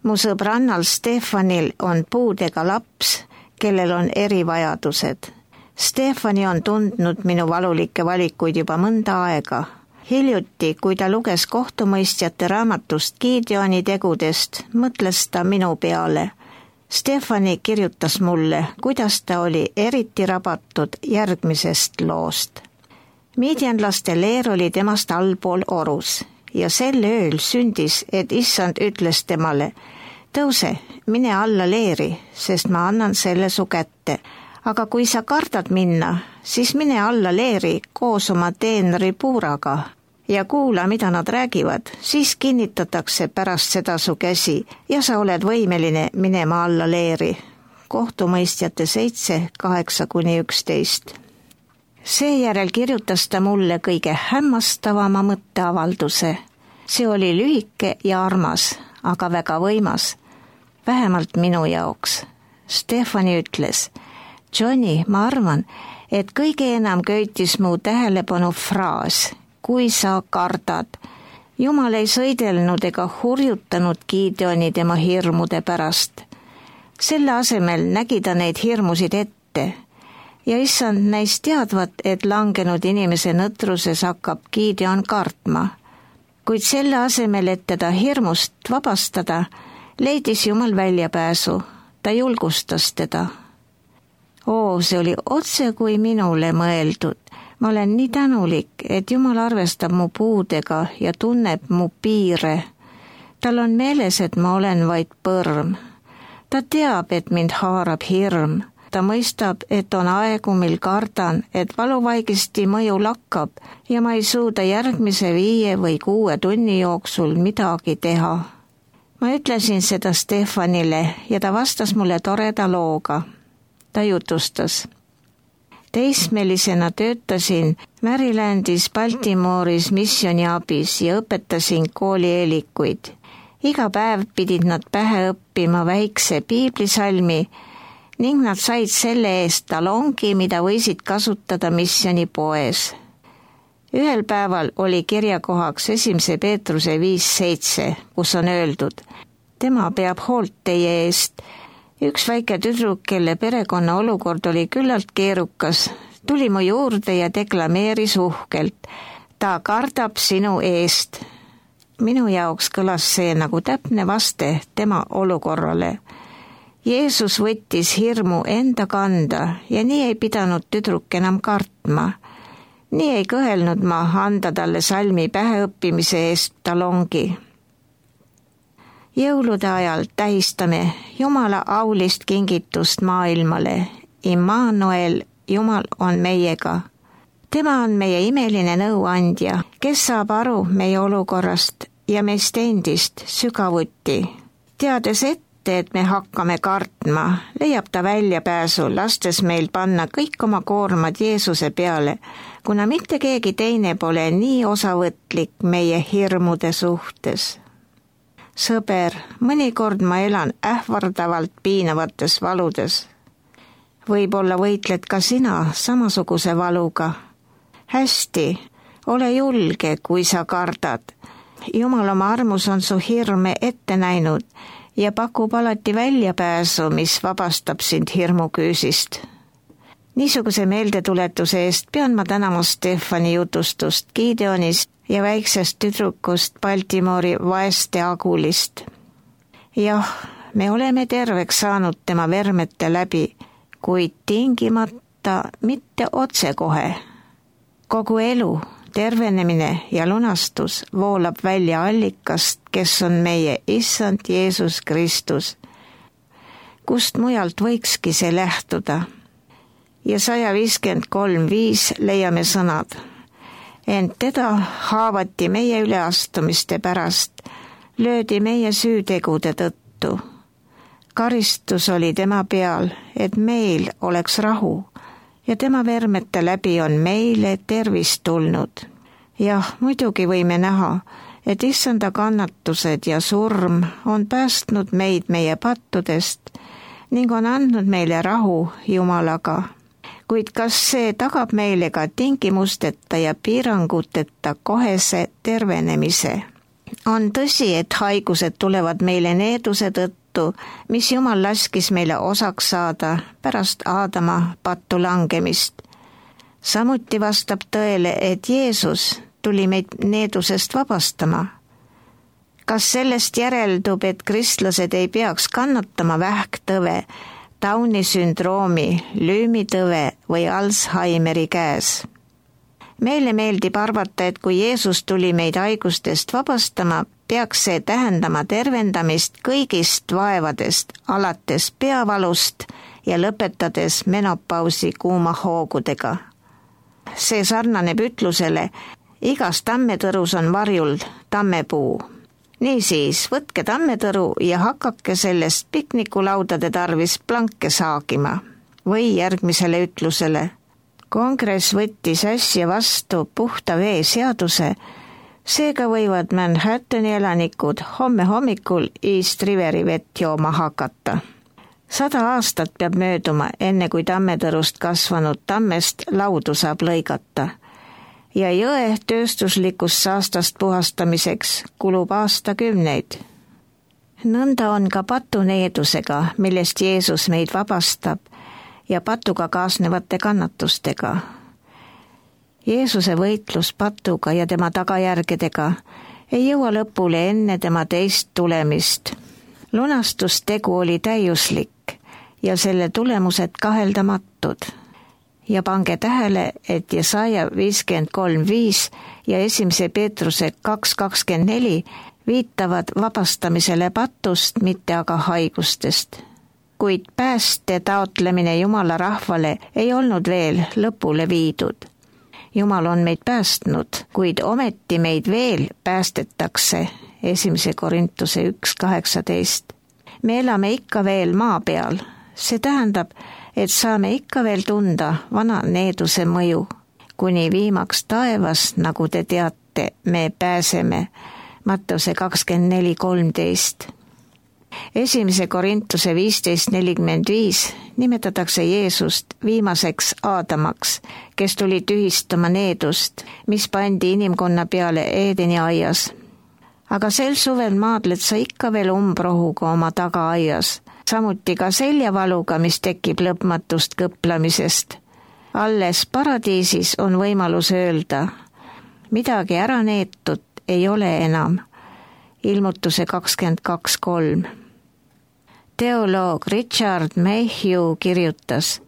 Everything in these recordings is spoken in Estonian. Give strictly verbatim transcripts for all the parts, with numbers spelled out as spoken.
Mu sõbrannal Stefanil on puudega laps, kellel on erivajadused. Stefani on tundnud minu valulikke valikuid juba mõnda aega. Hiljuti, kui ta luges kohtumõistjate raamatust Gideoni tegudest, mõtles ta minu peale. Stefani kirjutas mulle, kuidas ta oli eriti rabatud järgmisest loost. Midianlaste leer oli temast allpool orus ja sel ööl sündis, et issand ütles temale, tõuse, mine alla leeri, sest ma annan selle su kätte. Aga kui sa kardad minna, siis mine alla leeri koos oma teenri Puuraga ja kuula, mida nad räägivad, siis kinnitatakse pärast seda su käsi ja sa oled võimeline minema alla leeri. Kohtumõistjate seitse, kaheksa kuni üksteist. Seejärel kirjutas ta mulle kõige hämmastavama mõtteavalduse. See oli lühike ja armas, aga väga võimas. Vähemalt minu jaoks. Stefani ütles, Johnny, ma arvan, et kõige enam köitis mu tähelepanu fraas, kui sa kardad. Jumal ei sõidelnud ega hurjutanud Gideoni tema hirmude pärast. Selle asemel nägi ta neid hirmusid ette ja issand näis teadvat, et langenud inimese nõtruses hakkab Gideon kartma. Kuid selle asemel, et teda hirmust vabastada, leidis Jumal väljapääsu. Ta julgustas teda. Oo, see oli otse kui minule mõeldud. Ma olen nii tänulik, et Jumal arvestab mu puudega ja tunneb mu piire. Tal on meeles, et ma olen vaid põrm. Ta teab, et mind haarab hirm. Ta mõistab, et on aegu, mil kardan, et valuvaigisti mõju lakkab ja ma ei suuda järgmise viie või kuue tunni jooksul midagi teha. Ma ütlesin seda Stefanile ja ta vastas mulle toreda looga. Ta jutustas. Teismelisena töötasin Marylandis Baltimoris missiooniabis ja õpetasin koolieelikuid. Iga päev pidid nad pähe õppima väikse piiblisalmi ning nad said selle eest talongi, mida võisid kasutada missioonipoes. Ühel päeval oli kirjakohaks esimese Peetruse viis seitse, kus on öeldud, tema peab hoolt teie eest. Üks väike tüdruk, kelle perekonna olukord oli küllalt keerukas, tuli mu juurde ja deklameeris uhkelt. Ta kardab sinu eest. Minu jaoks kõlas see nagu täpne vaste tema olukorrale. Jeesus võttis hirmu enda kanda ja nii ei pidanud tüdruk enam kartma. Nii ei kõhelnud ma anda talle salmi päheõppimise eest talongi. Jõulude ajal tähistame Jumala aulist kingitust maailmale. Immanuel, Jumal on meiega. Tema on meie imeline nõuandja, kes saab aru meie olukorrast ja meist endist sügavuti. Teades ette, et me hakkame kartma, leiab ta väljapääsu, lastes meil panna kõik oma koormad Jeesuse peale, kuna mitte keegi teine pole nii osavõtlik meie hirmude suhtes. Sõber, mõnikord ma elan ähvardavalt piinavates valudes. Võib-olla võitled ka sina samasuguse valuga. Hästi, ole julge, kui sa kardad. Jumal oma armus on su hirme ette näinud ja pakub alati väljapääsu, mis vabastab sind hirmuküüsist. Niisuguse meeldetuletuse eest pean ma tänama Stefani jutustust Gideonist ja väiksest tüdrukust Baltimori vaeste Agulist. Jah, me oleme terveks saanud tema vermete läbi, kuid tingimata mitte otsekohe. Kogu elu, tervenemine ja lunastus voolab välja allikast, kes on meie issand Jeesus Kristus. Kust mujalt võikski see lähtuda? Ja sada viiskümmend kolm viis leiame sõnad. Ent teda haavati meie üleastumiste pärast, löödi meie süütegude tõttu. Karistus oli tema peal, et meil oleks rahu ja tema vermete läbi on meile tervist tulnud. Jah, muidugi võime näha, et issanda kannatused ja surm on päästnud meid meie pattudest ning on andnud meile rahu Jumalaga. Kuid kas see tagab meile ka tingimusteta ja piiranguteta kohese tervenemise? On tõsi, et haigused tulevad meile needuse tõttu, mis Jumal laskis meile osaks saada pärast Aadama pattu langemist. Samuti vastab tõele, et Jeesus tuli meid needusest vabastama. Kas sellest järeldub, et kristlased ei peaks kannatama vähktõve, Downi sündroomi, lüümitõve või Alzheimeri käes? Meile meeldib arvata, et kui Jeesus tuli meid haigustest vabastama, peaks see tähendama tervendamist kõigist vaevadest, alates peavalust ja lõpetades menopausi kuumahoogudega. See sarnaneb ütlusele, igas tammetõrus on varjul tammepuu. Niisiis, võtke tammetõru ja hakake sellest piknikulaudade tarvis planke saagima. Või järgmisele ütlusele. Kongress võttis äsja vastu puhta vee seaduse, seega võivad Manhattani elanikud homme hommikul East Riveri vett jooma hakata. Sada aastat peab mööduma, enne kui tammetõrust kasvanud tammest laudu saab lõigata. Ja jõe tööstuslikust saastast puhastamiseks kulub aastakümneid. Nõnda on ka patuneedusega, millest Jeesus meid vabastab, ja patuga kaasnevate kannatustega. Jeesuse võitlus patuga ja tema tagajärgedega ei jõua lõpule enne tema teist tulemist. Lunastustegu oli täiuslik ja selle tulemused kaheldamatud. Ja pange tähele, et Jesaja viiskümmend kolm viis ja esimese Peetruse kaks kakskümmend neli viitavad vabastamisele patust, mitte aga haigustest. Kuid pääste taotlemine Jumala rahvale ei olnud veel lõpule viidud. Jumal on meid päästnud, kuid ometi meid veel päästetakse, esimese Korintuse üks kaheksateist. Me elame ikka veel maa peal, see tähendab, et saame ikka veel tunda vana needuse mõju. Kuni viimaks taevas, nagu te teate, me pääseme, Matteuse kakskümmend neli kolmteist. Esimese Korintuse viisteist nelikümmend viis nimetatakse Jeesust viimaseks Aadamaks, kes tuli tühistama needust, mis pandi inimkonna peale Eedeni aias. Aga sel suvel maadled sa ikka veel umbrohuga oma tagaaias, samuti ka seljavaluga, mis tekib lõpmatust kõplamisest. Alles paradiisis on võimalus öelda, midagi ära neetud ei ole enam. Ilmutuse kakskümmend kaks kolm. Teoloog Richard Mayhew kirjutas,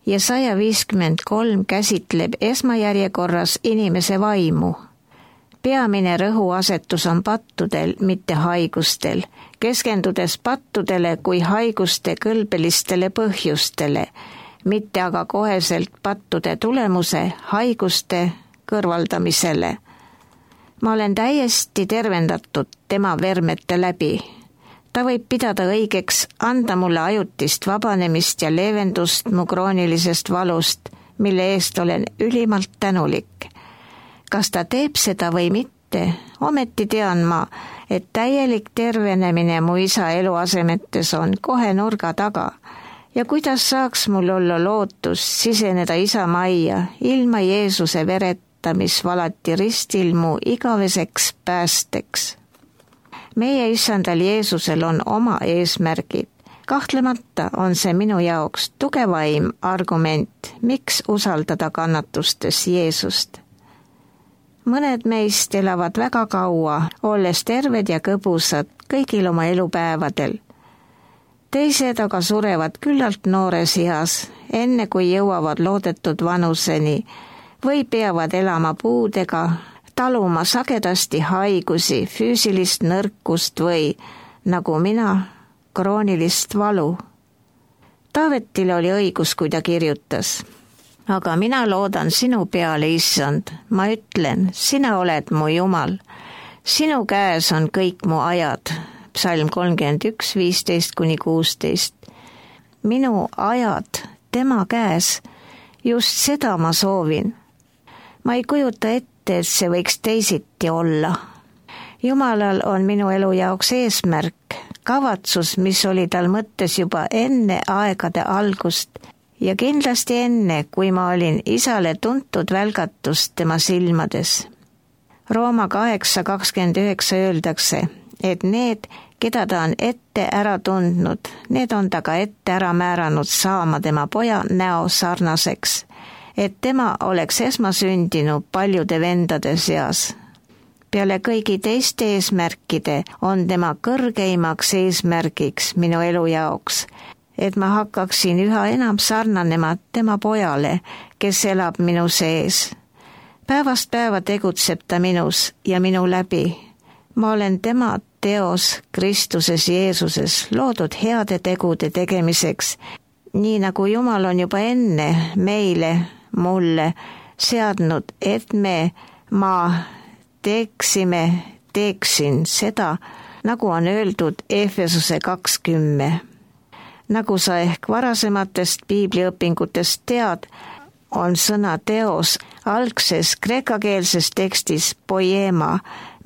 Jesaja viiskümmend kolm käsitleb esmajärjekorras inimese vaimu. Peamine rõhuasetus on pattudel, mitte haigustel, keskendudes pattudele kui haiguste kõlbelistele põhjustele, mitte aga koheselt pattude tulemuse haiguste kõrvaldamisele. Ma olen täiesti tervendatud tema vermete läbi. Ta võib pidada õigeks anda mulle ajutist vabanemist ja leevendust mu kroonilisest valust, mille eest olen ülimalt tänulik. Kas ta teeb seda või mitte, ometi tean ma, et täielik tervenemine mu isa eluasemetes on kohe nurga taga. Ja kuidas saaks mul olla lootus siseneda isa majja ilma Jeesuse vereta, mis valati ristil mu igaveseks päästeks. Meie issandal Jeesusel on oma eesmärgid. Kahtlemata on see minu jaoks tugevaim argument, miks usaldada kannatustes Jeesust. Mõned meist elavad väga kaua, olles terved ja kõbusad kõigil oma elupäevadel. Teised aga surevad küllalt noores eas, enne kui jõuavad loodetud vanuseni või peavad elama puudega, taluma sagedasti haigusi, füüsilist nõrkust või, nagu mina, kroonilist valu. Taavetil oli õigus, kui ta kirjutas. Aga mina loodan sinu peale, issand. Ma ütlen, sina oled mu Jumal. Sinu käes on kõik mu ajad. Psalm kolmkümmend üks, viisteist kuni kuusteist. Minu ajad tema käes, just seda ma soovin. Ma ei kujuta ette, et see võiks teisiti olla. Jumalal on minu elu jaoks eesmärk, kavatsus, mis oli tal mõttes juba enne aegade algust ja kindlasti enne, kui ma olin isale tuntud välgatust tema silmades. Rooma kaheksa kakskümmend üheksa öeldakse, et need, keda ta on ette ära tundnud, need on ta ka ette ära määranud saama tema poja näo sarnaseks, et tema oleks esmasündinu paljude vendade seas. Peale kõigi teiste eesmärkide on tema kõrgeimaks eesmärgiks minu elu jaoks, et ma hakkaksin üha enam sarnanema tema pojale, kes elab minu sees. Päevast päeva tegutseb ta minus ja minu läbi. Ma olen tema teos Kristuses Jeesuses loodud heade tegude tegemiseks, nii nagu Jumal on juba enne meile, mulle seadnud, et me, ma teeksime, teeksin seda, nagu on öeldud Efesuse kakskümmend. Nagu sa ehk varasematest piibliõpingutest tead, on sõna teos algses kreekakeelses tekstis poema,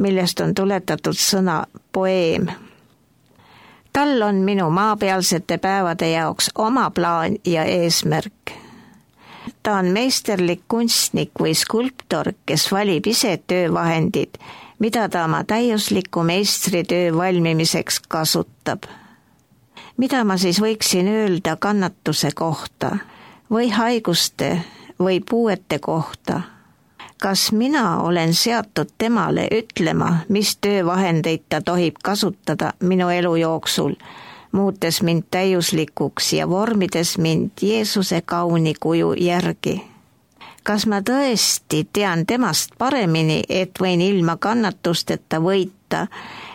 millest on tuletatud sõna poeem. Tal on minu maapealsete päevade jaoks oma plaan ja eesmärk. Ta on meisterlik kunstnik või skulptor, kes valib ise töövahendid, mida ta oma täiusliku meistritöö valmimiseks kasutab. Mida ma siis võiksin öelda kannatuse kohta või haiguste või puuete kohta? Kas mina olen seatud temale ütlema, mis töövahendeid ta tohib kasutada minu elu jooksul, muutes mind täiuslikuks ja vormides mind Jeesuse kauni kuju järgi? Kas ma tõesti tean temast paremini, et võin ilma kannatusteta võita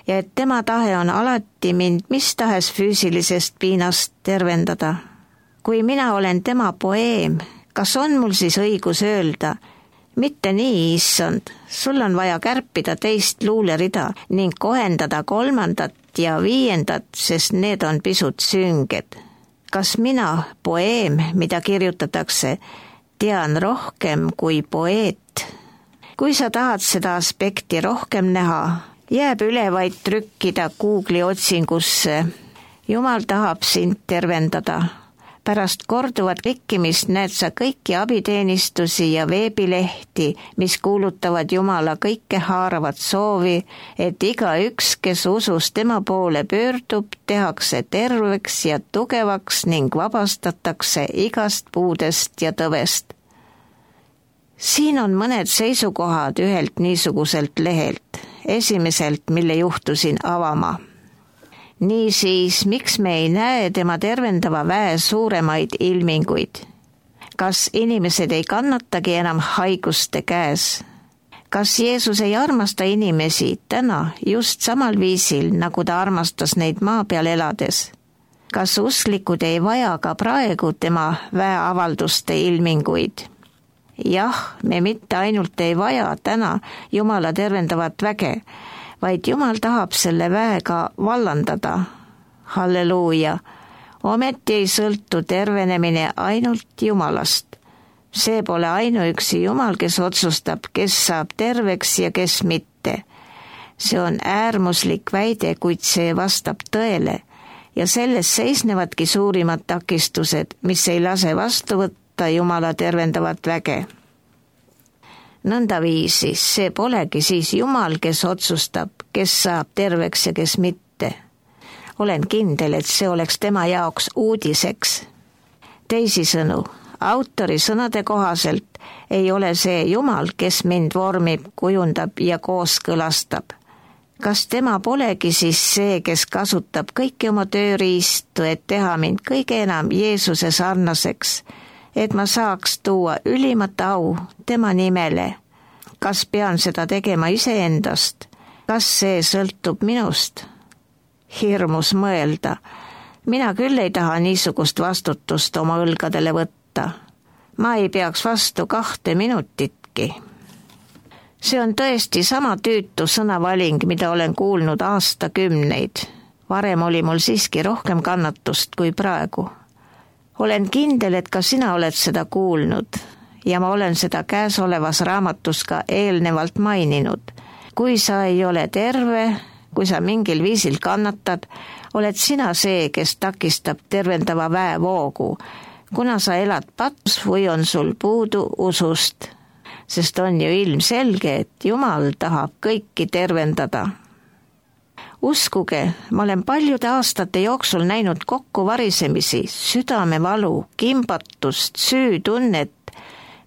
ja et tema tahe on alati mind mis tahes füüsilisest piinast tervendada? Kui mina olen tema poeem, kas on mul siis õigus öelda, mitte nii, issand, sul on vaja kärpida teist luulerida ning kohendada kolmandat ja viiendat, sest need on pisut sünged. Kas mina, poeem, mida kirjutatakse, tean rohkem kui poeet? Kui sa tahad seda aspekti rohkem näha, jääb üle vaid trükkida Google'i otsingusse. Jumal tahab sind tervendada. Pärast korduvat klikkimist näed sa kõiki abiteenistusi ja veebilehti, mis kuulutavad Jumala kõike haaravat soovi, et igaüks, kes usus tema poole pöördub, tehakse terveks ja tugevaks ning vabastatakse igast puudest ja tõvest. Siin on mõned seisukohad ühelt niisuguselt lehelt, esimeselt, mille juhtusin avama. Niisiis, miks me ei näe tema tervendava väe suuremaid ilminguid? Kas inimesed ei kannatagi enam haiguste käes? Kas Jeesus ei armasta inimesi täna just samal viisil, nagu ta armastas neid maa peal elades? Kas usklikud ei vaja ka praegu tema väeavalduste ilminguid? Jah, me mitte ainult ei vaja täna Jumala tervendavat väge, vaid Jumal tahab selle väega vallandada. Halleluuja! Ometi ei sõltu tervenemine ainult Jumalast. See pole ainuüksi Jumal, kes otsustab, kes saab terveks ja kes mitte. See on äärmuslik väide, kuid see vastab tõele ja selles seisnevadki suurimad takistused, mis ei lase vastu võtta Jumala tervendavat väge. Nõnda viisi, see polegi siis Jumal, kes otsustab, kes saab terveks ja kes mitte. Olen kindel, et see oleks tema jaoks uudiseks. Teisisõnu, autori sõnade kohaselt ei ole see Jumal, kes mind vormib, kujundab ja kooskõlastab. Kas tema polegi siis see, kes kasutab kõiki oma tööriistu, et teha mind kõige enam Jeesuse sarnaseks, et ma saaks tuua ülimat au tema nimele? Kas pean seda tegema iseendast? Kas see sõltub minust? Hirmus mõelda. Mina küll ei taha niisugust vastutust oma õlgadele võtta. Ma ei peaks vastu kahte minutitki. See on tõesti sama tüütu sõnavaling, mida olen kuulnud aastakümneid. Varem oli mul siiski rohkem kannatust kui praegu. Olen kindel, et ka sina oled seda kuulnud ja ma olen seda käesolevas raamatus ka eelnevalt maininud. Kui sa ei ole terve, kui sa mingil viisil kannatad, oled sina see, kes takistab tervendava väevoogu, kuna sa elad patus või on sul puudu usust. sest on ju ilmselge, et Jumal tahab kõiki tervendada. Uskuge, ma olen paljude aastate jooksul näinud kokkuvarisemisi, südamevalu, kimbatust, süütunnet,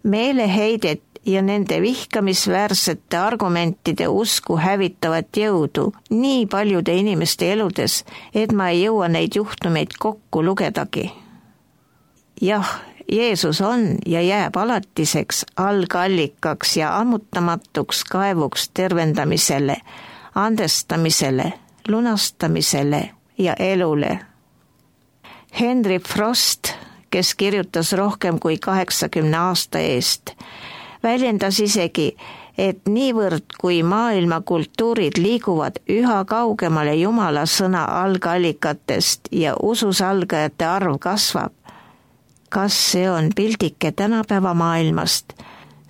meeleheidet ja nende vihkamisväärsete argumentide usku hävitavat jõudu nii paljude inimeste eludes, et ma ei jõua neid juhtumeid kokku lugedagi. Jah, Jeesus on ja jääb alatiseks algallikaks ja ammutamatuks kaevuks tervendamisele, andestamisele, lunastamisele ja elule. Henry Frost, kes kirjutas rohkem kui kaheksakümne aasta eest, väljendas isegi, et niivõrd kui maailma kultuurid liiguvad üha kaugemale Jumala sõna algallikatest ja usus algajate arv kasvab. Kas see on pildike tänapäeva maailmast?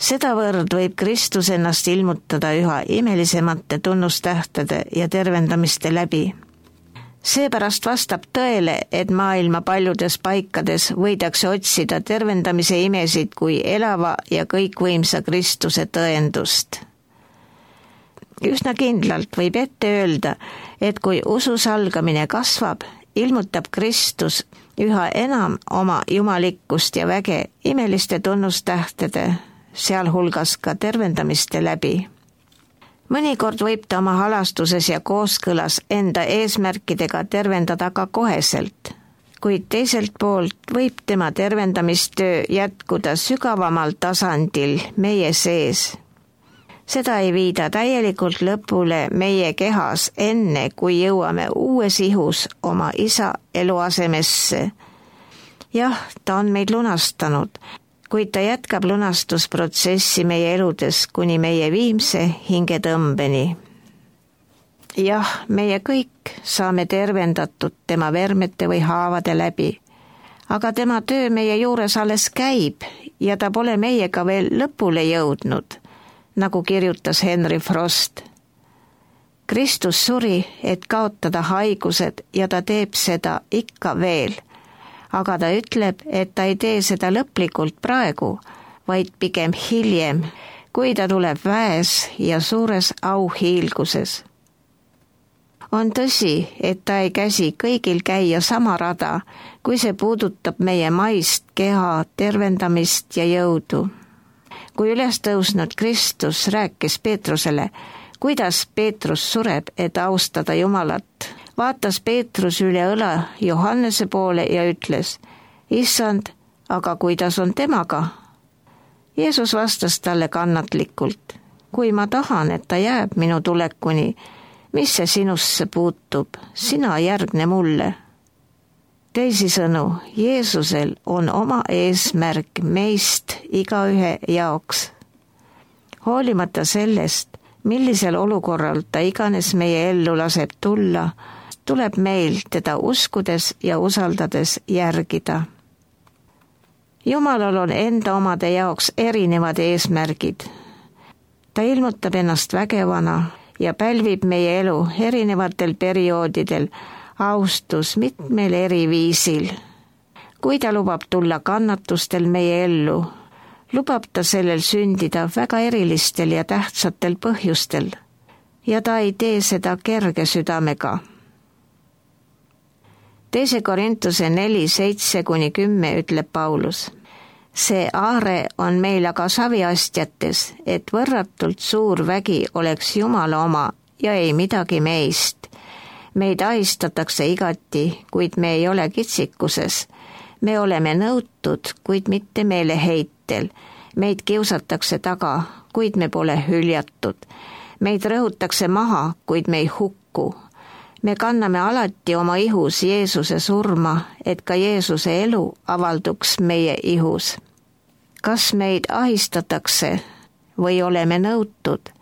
Sedavõrd võib Kristus ennast ilmutada üha imelisemate tunnustähtede ja tervendamiste läbi. Seepärast vastab tõele, et maailma paljudes paikades võidakse otsida tervendamise imesid kui elava ja kõikvõimsa Kristuse tõendust. Üsna kindlalt võib ette öelda, et kui usus algamine kasvab, ilmutab Kristus üha enam oma jumalikkust ja väge imeliste tunnustähtede, sealhulgas ka tervendamiste läbi. Mõnikord võib ta oma halastuses ja kooskõlas enda eesmärkidega tervendada ka koheselt, kuid teiselt poolt võib tema tervendamistöö jätkuda sügavamal tasandil meie sees. Seda ei viida täielikult lõpule meie kehas enne, kui jõuame uues ihus oma isa eluasemesse. Jah, ta on meid lunastanud, kuid ta jätkab lunastusprotsessi meie eludes kuni meie viimse hingetõmbeni. Jah, meie kõik saame tervendatud tema vermete või haavade läbi, aga tema töö meie juures alles käib ja ta pole meiega veel lõpule jõudnud, nagu kirjutas Henry Frost. Kristus suri, et kaotada haigused ja ta teeb seda ikka veel. Aga ta ütleb, et ta ei tee seda lõplikult praegu, vaid pigem hiljem, kui ta tuleb väes ja suures auhiilguses. On tõsi, et ta ei käsi kõigil käia sama rada, kui see puudutab meie maist keha tervendamist ja jõudu. Kui üles tõusnud Kristus rääkis Peetrusele, kuidas Peetrus sureb, et austada Jumalat, vaatas Peetrus üle õla Johannese poole ja ütles, Issand, aga kuidas on temaga? Jeesus vastas talle kannatlikult, kui ma tahan, et ta jääb minu tulekuni, mis see sinusse puutub, sina järgne mulle. Teisisõnu, Jeesusel on oma eesmärk meist igaühe jaoks. Hoolimata sellest, millisel olukorral ta iganes meie ellu laseb tulla, tuleb meil teda uskudes ja usaldades järgida. Jumalal on enda omade jaoks erinevad eesmärgid. Ta ilmutab ennast vägevana ja pälvib meie elu erinevatel perioodidel austus mitmel eri viisil. Kui ta lubab tulla kannatustel meie ellu, lubab ta sellel sündida väga erilistel ja tähtsatel põhjustel ja ta ei tee seda kerge südamega. Teise Korintuse neli, seitse kuni kümme ütleb Paulus. See aare on meil aga saviastjates, et võrratult suur vägi oleks Jumala oma ja ei midagi meist. Meid ahistatakse igati, kuid me ei ole kitsikuses. Me oleme nõutud, kuid mitte meeleheitel. Meid kiusatakse taga, kuid me pole hüljatud. Meid rõhutakse maha, kuid me ei hukku. Me kanname alati oma ihus Jeesuse surma, et ka Jeesuse elu avalduks meie ihus. Kas meid ahistatakse või oleme nõutud?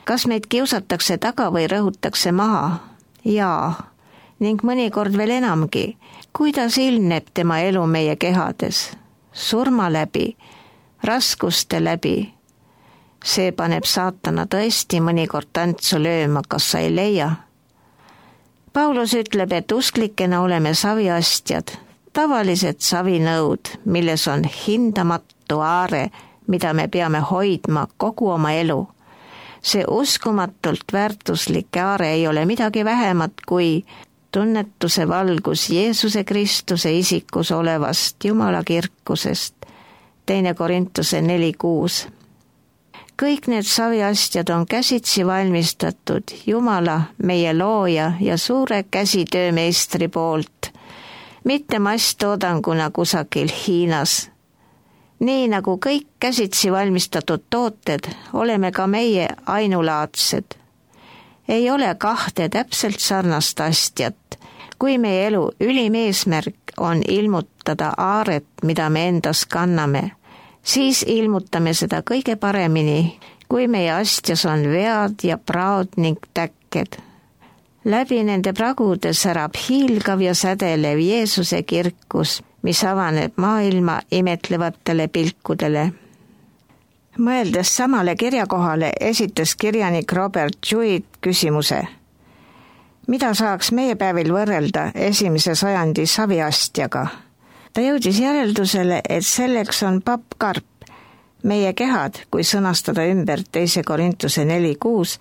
Kas meid kiusatakse taga või rõhutakse maha? Jaa, ning mõnikord veel enamgi. Kuidas ilmneb tema elu meie kehades? Surma läbi, raskuste läbi. See paneb saatana tõesti mõnikord tantsu lööma, kas sa ei leia? Paulus ütleb, et usklikena oleme saviastjad, tavalised savinõud, milles on hindamatu aare, mida me peame hoidma kogu oma elu. See uskumatult väärtuslik aare ei ole midagi vähemat kui tunnetuse valgus Jeesuse Kristuse isikus olevast Jumala kirkusest. teine Korintuse neli kuus. Kõik need saviastjad on käsitsi valmistatud Jumala, meie looja ja suure käsitöömeistri poolt, mitte masstoodanguna kusagil Hiinas. Nii nagu kõik käsitsi valmistatud tooted, oleme ka meie ainulaadsed. Ei ole kahte täpselt sarnast astjat, kui meie elu ülim eesmärk on ilmutada aaret, mida me endas kanname, siis ilmutame seda kõige paremini, kui meie astjas on vead ja praod ning täkked. Läbi nende pragude särab hiilgav ja sädelev Jeesuse kirkus, mis avaneb maailma imetlevatele pilkudele. Mõeldes samale kirjakohale esitas kirjanik Robert Jewett küsimuse. Mida saaks meie päevil võrrelda esimese sajandi saviastjaga? Ta jõudis järeldusele, et selleks on pappkarp. Meie kehad, kui sõnastada ümber teise Korintuse neli kuus,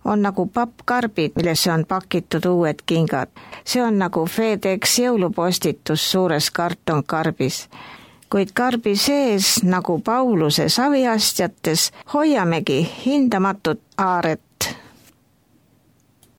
on nagu pappkarbid, millesse on pakitud uued kingad. See on nagu FedEx jõulupostitus suures kartonkarbis. Kuid karbi sees, nagu Pauluse saviastjates, hoiamegi hindamatut aaret,